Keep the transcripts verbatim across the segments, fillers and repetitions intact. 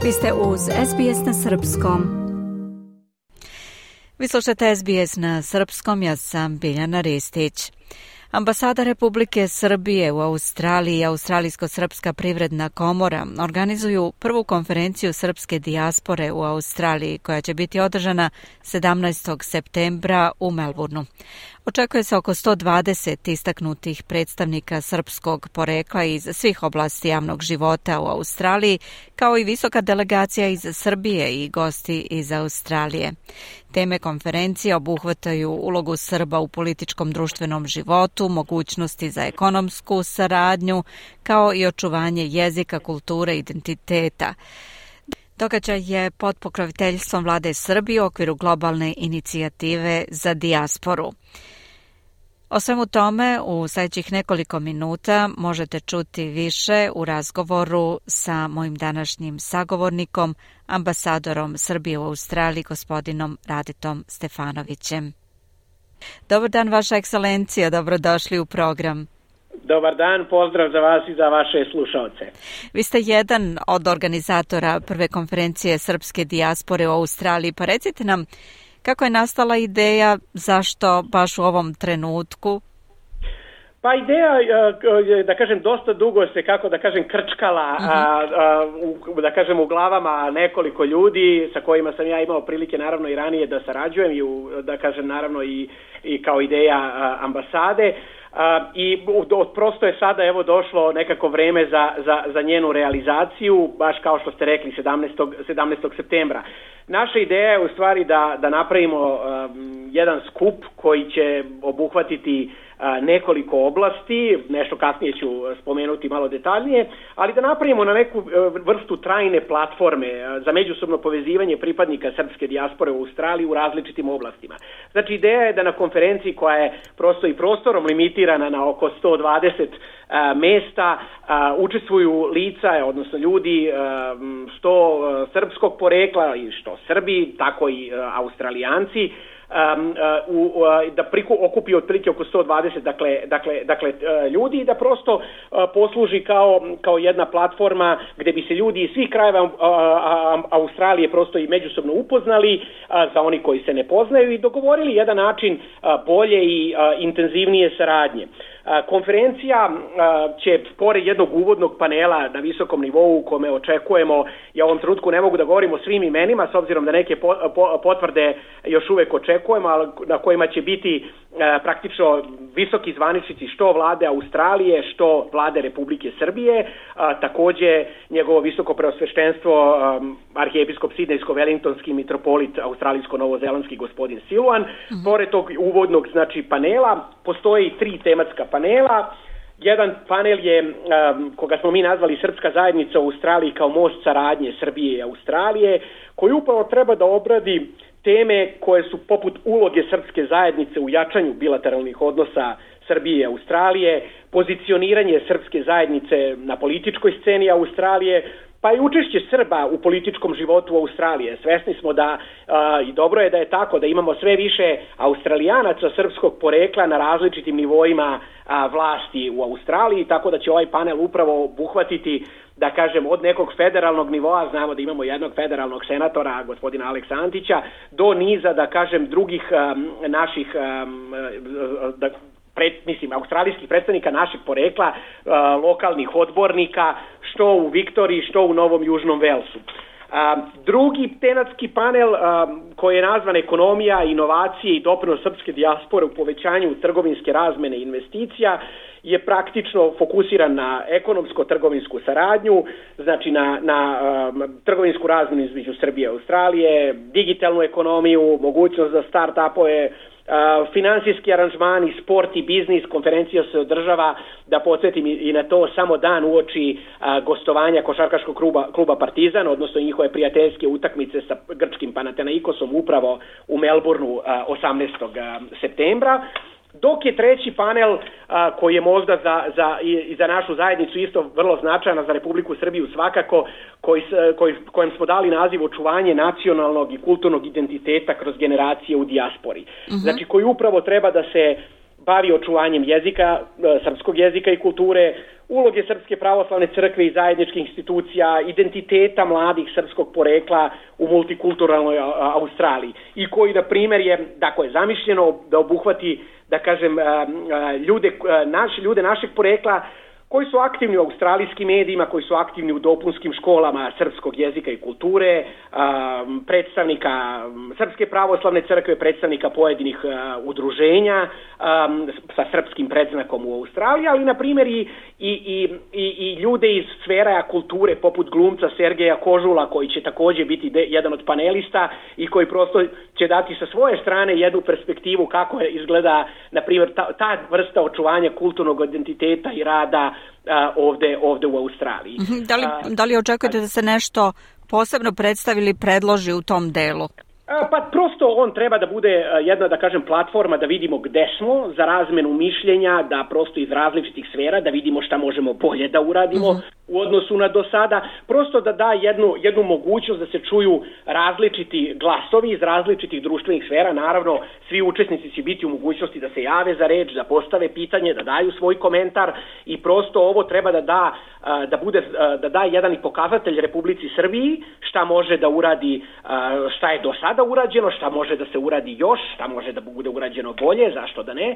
Vi ste uz S B S na srpskom. Vi slušate S B S na srpskom, ja sam Biljana Ristić. Ambasada Republike Srbije u Australiji i Australijsko-srpska privredna komora organizuju prvu konferenciju srpske dijaspore u Australiji koja će biti održana sedamnaestog septembra u Melbourneu. Očekuje se oko sto dvadeset istaknutih predstavnika srpskog porekla iz svih oblasti javnog života u Australiji, kao i visoka delegacija iz Srbije i gosti iz Australije. Teme konferencije obuhvataju ulogu Srba u političkom društvenom životu, mogućnosti za ekonomsku saradnju, kao i očuvanje jezika, kulture i identiteta. Događaj je pod pokroviteljstvom vlade Srbije u okviru globalne inicijative za dijasporu. O svemu tome u sljedećih nekoliko minuta možete čuti više u razgovoru sa mojim današnjim sagovornikom, ambasadorom Srbije u Australiji, gospodinom Raditom Stefanovićem. Dobar dan, Vaša ekscelencija, dobrodošli u program. Dobar dan, pozdrav za vas i za vaše slušalce. Vi ste jedan od organizatora prve konferencije srpske dijaspore u Australiji, pa recite nam kako je nastala ideja, zašto baš u ovom trenutku? Pa ideja, da kažem, dosta dugo se, kako da kažem, krčkala, uh-huh. a, a, u, da kažem, u glavama nekoliko ljudi sa kojima sam ja imao prilike naravno i ranije da sarađujem i u, da kažem naravno i, i kao ideja a, ambasade. Uh, i do, prosto je sada evo došlo nekako vreme za, za, za njenu realizaciju, baš kao što ste rekli sedamnaestog septembra. Naša ideja je u stvari da, da napravimo um, jedan skup koji će obuhvatiti uh, nekoliko oblasti, nešto kasnije ću spomenuti malo detaljnije, ali da napravimo na neku uh, vrstu trajne platforme uh, za međusobno povezivanje pripadnika srpske dijaspore u Australiji u različitim oblastima. Znači ideja je da na konferenciji koja je prosto i prostorom limitirana na oko sto dvadeset uh, mesta uh, učestvuju lica, odnosno ljudi uh, što uh, srpskog porekla i što Srbi, tako i uh, Australijanci, um, uh, u, uh, da priku, okupi otprilike oko sto dvadeset dakle, dakle, dakle, uh, ljudi i da prosto uh, posluži kao, kao jedna platforma gdje bi se ljudi iz svih krajeva uh, uh, Australije prosto i međusobno upoznali, uh, za oni koji se ne poznaju, i dogovorili jedan način uh, bolje i uh, intenzivnije saradnje. Konferencija će, pored jednog uvodnog panela na visokom nivou u kome očekujemo, ja u ovom trenutku ne mogu da govorim o svim imenima s obzirom da neke potvrde još uvek očekujemo, ali na kojima će biti praktično visoki zvaničnici što vlade Australije, što vlade Republike Srbije, takođe njegovo visoko preosveštenstvo arhijepiskop sidnejsko-velingtonski mitropolit australijsko-novozelandski gospodin Siluan. Mm-hmm. Pored tog uvodnog znači panela postoji tri tematska panela. Jedan panel je, um, koga smo mi nazvali Srpska zajednica u Australiji kao most saradnje Srbije i Australije, koji upravo treba da obradi teme koje su poput uloge srpske zajednice u jačanju bilateralnih odnosa Srbije i Australije, pozicioniranje srpske zajednice na političkoj sceni Australije, pa i učešće Srba u političkom životu Australije. Svesni smo da, a, i dobro je da je tako, da imamo sve više Australijanaca srpskog porekla na različitim nivoima a, vlasti u Australiji, tako da će ovaj panel upravo obuhvatiti, da kažem, od nekog federalnog nivoa, znamo da imamo jednog federalnog senatora, gospodina Aleksa Antića, do niza, da kažem, drugih um, naših um, da, Pred, mislim, australijskih predstavnika našeg porekla, uh, lokalnih odbornika, što u Viktoriji, što u Novom Južnom Velsu. Uh, drugi tematski panel, uh, koji je nazvan Ekonomija, inovacije i doprinos srpske dijaspore u povećanju trgovinske razmene i investicija, je praktično fokusiran na ekonomsko-trgovinsku saradnju, znači na, na um, trgovinsku razmenu između Srbije i Australije, digitalnu ekonomiju, mogućnost za start-upove, Uh, finansijski aranžmani, sport i biznis. Konferencija se održava, da podsjetim i na to, samo dan uoči uh, gostovanja košarkaškog kluba, kluba Partizan, odnosno njihove prijateljske utakmice sa grčkim Panathinaikosom upravo u Melbourneu uh, osamnaestog septembra. Dok je treći panel, a, koji je možda za, za, i, i za našu zajednicu isto vrlo značajan, za Republiku Srbiju svakako, koji, koji, kojem smo dali naziv očuvanje nacionalnog i kulturnog identiteta kroz generacije u dijaspori. Uh-huh. Znači, koji upravo treba da se bavi očuvanjem jezika, srpskog jezika i kulture, uloge Srpske pravoslavne crkve i zajedničkih institucija, identiteta mladih srpskog porekla u multikulturalnoj Australiji i koji, na primjer, je, dakle, zamišljeno da obuhvati, da kažem, ljude, naš, ljude našeg porekla koji su aktivni u australijskim medijima, koji su aktivni u dopunskim školama srpskog jezika i kulture, predstavnika Srpske pravoslavne crkve, predstavnika pojedinih udruženja sa srpskim predznakom u Australiji, ali na primjer i, i, i, i ljude iz sfera kulture poput glumca Sergeja Kožula, koji će također biti de, jedan od panelista i koji prosto će dati sa svoje strane jednu perspektivu kako izgleda, na primjer, ta, ta vrsta očuvanja kulturnog identiteta i rada A, ovde, ovde u Australiji. Da li, da li očekujete da se nešto posebno predstavi ili predloži u tom delu? Pa prosto on treba da bude jedna, da kažem, platforma da vidimo gde smo za razmenu mišljenja, da prosto iz različitih sfera da vidimo šta možemo bolje da uradimo uh-huh. u odnosu na do sada, prosto da da jednu, jednu mogućnost da se čuju različiti glasovi iz različitih društvenih sfera. Naravno, svi učesnici će biti u mogućnosti da se jave za reč, da postave pitanje, da daju svoj komentar i prosto ovo treba da da, da bude, da da jedan i pokazatelj Republici Srbiji šta može da uradi, šta je do sada urađeno, šta može da se uradi još, šta može da bude urađeno bolje, zašto da ne,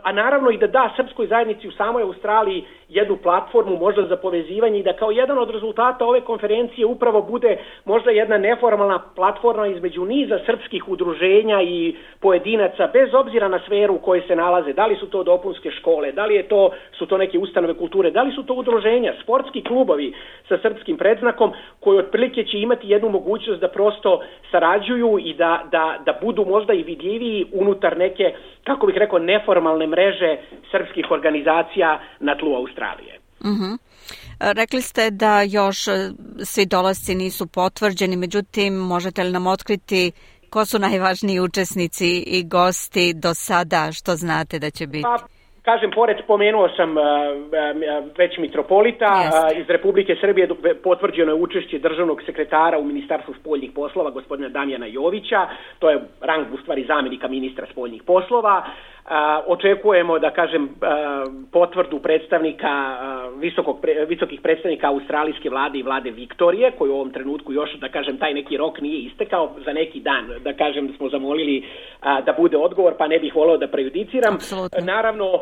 a naravno i da da srpskoj zajednici u samoj Australiji jednu platformu možda za povezivanje i da kao jedan od rezultata ove konferencije upravo bude možda jedna neformalna platforma između niza srpskih udruženja i pojedinaca, bez obzira na sferu u kojoj se nalaze, da li su to dopunske škole, da li je to, su to neke ustanove kulture, da li su to udruženja, sportski klubovi sa srpskim predznakom, koji otprilike će imati jednu mogućnost da prosto sarađuju i da, da, da budu možda i vidljiviji unutar neke, kako bih rekao, neformalne mreže srpskih organizacija na tlu Australije. Uh-huh. Rekli ste da još svi dolasci nisu potvrđeni, međutim, možete li nam otkriti ko su najvažniji učesnici i gosti do sada, što znate da će biti? Pa, kažem, pored spomenuo sam uh, već mitropolita, uh, iz Republike Srbije potvrđeno je učešće državnog sekretara u Ministarstvu spoljnih poslova, gospodina Damjana Jovića, to je rang u stvari zamjenika ministra spoljnih poslova. Uh, očekujemo, da kažem, uh, potvrdu predstavnika, uh, visokog, pre, visokih predstavnika australijske vlade i vlade Viktorije, koji u ovom trenutku još, da kažem, taj neki rok nije istekao, za neki dan, da kažem, da smo zamolili uh, da bude odgovor, pa ne bih voleo da prejudiciram. Absolutno. Naravno, uh,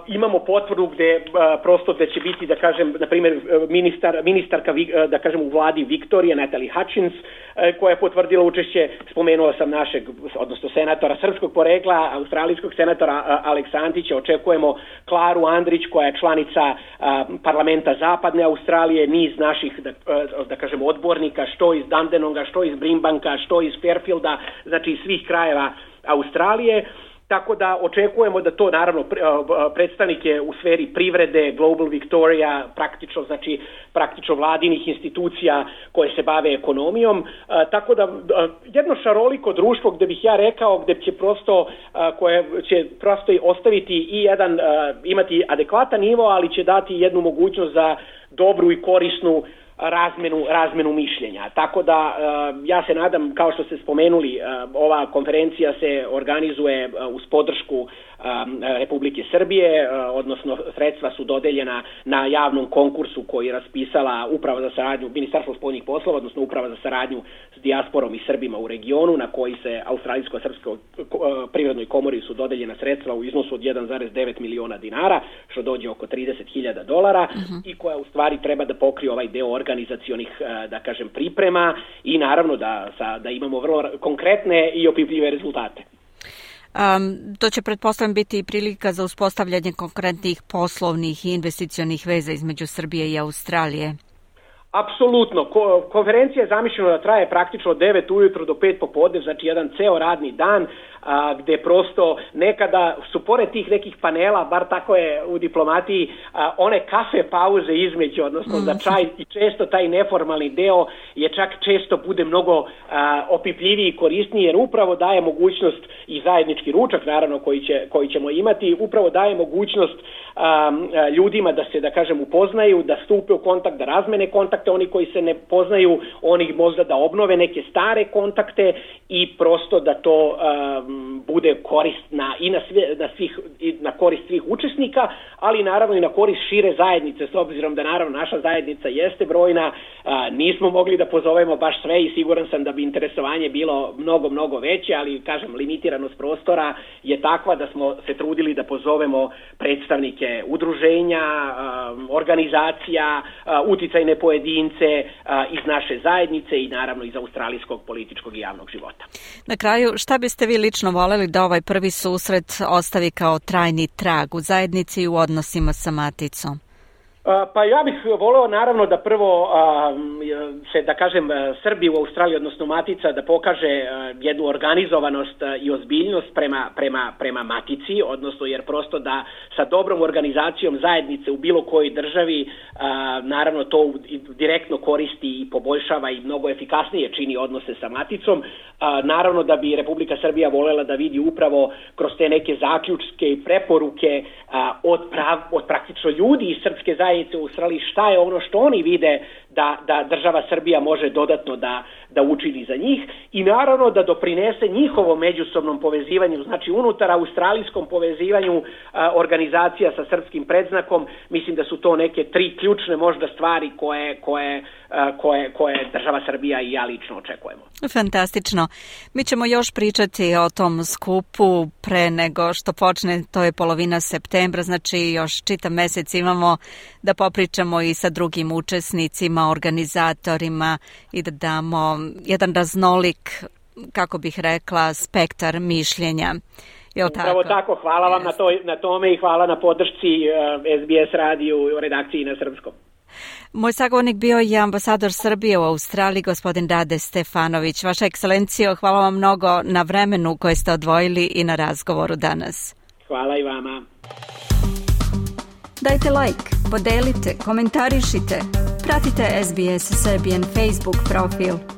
imamo potvrdu gde uh, prosto da će biti, da kažem, na primjer, ministar, ministarka, uh, da kažem, u vladi Viktorije, Natalie Hutchins, uh, koja je potvrdila učešće, spomenuo sam našeg, odnosno senatora srpskog porekla, australijskog senatora Aleksantića, očekujemo Klaru Andrić, koja je članica a, parlamenta Zapadne Australije, niz naših, da, da kažem, odbornika, što iz Dandenonga, što iz Brimbanka, što iz Fairfielda, znači iz svih krajeva Australije. Tako da očekujemo da to, naravno, predstavnike u sferi privrede, Global Victoria, praktično, znači praktično vladinih institucija koje se bave ekonomijom, tako da jedno šaroliko društvo gde bih ja rekao, gde će prosto, koje će prosto ostaviti i jedan, imati adekvatan nivo, ali će dati jednu mogućnost za dobru i korisnu razmenu, razmenu mišljenja. Tako da ja se nadam, kao što ste spomenuli, ova konferencija se organizuje uz podršku Republike Srbije, odnosno sredstva su dodeljena na javnom konkursu koji je raspisala Uprava za saradnju, Ministarstvo spoljnih poslova, odnosno Uprava za saradnju s dijasporom i Srbima u regionu, na koji se Australijsko-srpskoj privrednoj komori su dodeljena sredstva u iznosu od jedan zarez devet miliona dinara, što dođe oko trideset hiljada dolara uh-huh. i koja u stvari treba da pokrije ovaj deo organizacionih, da kažem, priprema i naravno da, sa, da imamo vrlo konkretne i opipljive rezultate. Um, to će, pretpostavljam, biti i prilika za uspostavljanje konkretnih poslovnih i investicionih veza između Srbije i Australije. Apsolutno. Ko, konferencija je zamišljena da traje praktično od devet ujutro do pet popodne, znači jedan ceo radni dan, a, gde prosto nekada su pored tih nekih panela, bar tako je u diplomatiji, a, one kafe pauze između, odnosno mm. za čaj, i često taj neformalni deo je čak često bude mnogo a, opipljiviji i korisniji, jer upravo daje mogućnost i zajednički ručak, naravno, koji, će, koji ćemo imati, upravo daje mogućnost a, a, ljudima da se, da kažem, upoznaju, da stupe u kontakt, da razmene kontakte, oni koji se ne poznaju, oni možda da obnove neke stare kontakte i prosto da to um, bude korisna i na, sve, na, svih, i na korist svih učesnika, ali naravno i na korist šire zajednice, s obzirom da naravno naša zajednica jeste brojna, a, nismo mogli da pozovemo baš sve i siguran sam da bi interesovanje bilo mnogo, mnogo veće, ali kažem, limitiranost prostora je takva da smo se trudili da pozovemo predstavnike udruženja, a, organizacija, a, uticajne pojedince a, iz naše zajednice i naravno iz australijskog političkog i javnog života. Na kraju, šta biste vi lično voljeli da ovaj prvi susret ostavi kao trajni trag u zajednici i u odnosima sa maticom? Pa ja bih voleo naravno da prvo se, da kažem, Srbi u Australiji, odnosno Matica, da pokaže jednu organizovanost i ozbiljnost prema, prema, prema Matici, odnosno jer prosto da sa dobrom organizacijom zajednice u bilo kojoj državi naravno to direktno koristi i poboljšava i mnogo efikasnije čini odnose sa Maticom. Naravno da bi Republika Srbija voljela da vidi upravo kroz te neke zaključke i preporuke od, prav, od praktično ljudi iz srpske zajednice u Australiji šta je ono što oni vide da, da država Srbija može dodatno da, da učini za njih i naravno da doprinese njihovom međusobnom povezivanju, znači unutar australijskom povezivanju a, organizacija sa srpskim predznakom. Mislim da su to neke tri ključne možda stvari koje, koje, a, koje, koje država Srbija i ja lično očekujemo. Fantastično. Mi ćemo još pričati o tom skupu pre nego što počne, to je polovina septembra, znači još čitav mesec imamo da popričamo i sa drugim učesnicima, organizatorima i da damo jedan raznolik, kako bih rekla, spektar mišljenja. Jel tako? Upravo tako, hvala vam yes. na, to, na tome i hvala na podršci uh, S B S radiju u redakciji na srpskom. Moj sagovornik bio je ambasador Srbije u Australiji, gospodin Rade Stefanović. Vaša ekscelencijo, hvala vam mnogo na vremenu koje ste odvojili i na razgovoru danas. Hvala i vama. Dajte like, podelite, komentarišite, pratite S B S Serbian Facebook profil.